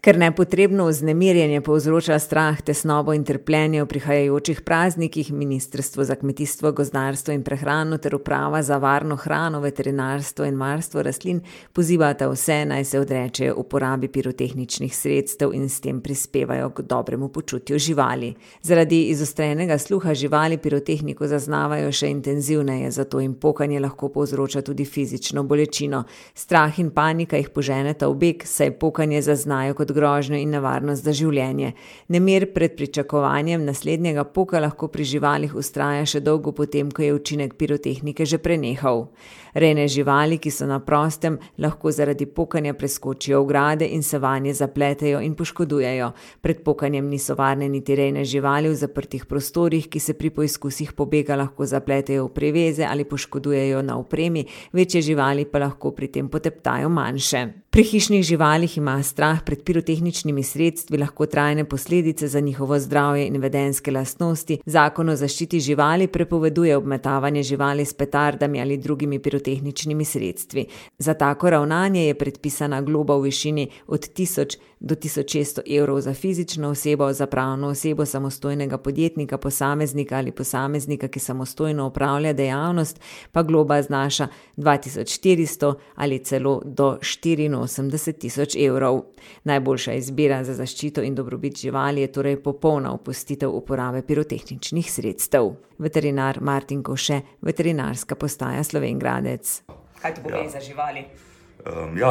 Ker nepotrebno vznemirjenje povzroča strah, tesnobo in trpljenje v prihajajočih praznikih, Ministrstvo za kmetijstvo, gozdarstvo in prehrano ter Uprava za varno hrano, veterinarstvo in varstvo rastlin pozivata vse, naj se odrečejo uporabi pirotehničnih sredstev in s tem prispevajo k dobremu počutju živali. Zaradi izostrenega sluha živali pirotehniko zaznavajo še intenzivneje, zato jim pokanje lahko povzroča tudi fizično bolečino. Strah in panika jih poženeta v beg, saj pokanje zaznajo kot grožnjo in nevarnost za življenje. Nemir pred pričakovanjem naslednjega poka lahko pri živalih vztraja še dolgo potem, ko je učinek pirotehnike že prenehal. Rejne živali, ki so na prostem, lahko zaradi pokanja preskočijo ograde in se vanje zapletejo in poškodujejo. Pred pokanjem niso varne niti rejne živali v zaprtih prostorih, ki se pri poizkusih pobega lahko zapletejo v priveze ali poškodujejo na opremi, večje živali pa lahko pri tem poteptajo manjše. Pri hišnih živalih ima strah pred pirotehničnimi sredstvi lahko trajne posledice za njihovo zdravje in vedenjske lastnosti. Zakon o zaščiti živali prepoveduje obmetavanje živali s petardami ali drugimi pirotehničnimi sredstvi. Za tako ravnanje je predpisana globa v višini od 1000 do 1600 evrov za fizično osebo, za pravno osebo, samostojnega podjetnika, posameznika ali posameznika, ki samostojno opravlja dejavnost, pa globa znaša 2400 ali celo do 84 000 evrov. Najboljša izbira za zaščito in dobrobit živali je torej popolna opustitev uporabe pirotehničnih sredstev. Veterinar Martin Kovše, veterinarska postaja Slovenj Gradec. Kaj to pomeni za živali?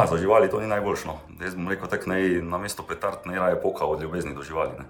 Za živali to ni najboljšno. Jaz bom rekel tako, namesto petard naj raje poka od ljubezni do živali. Ne?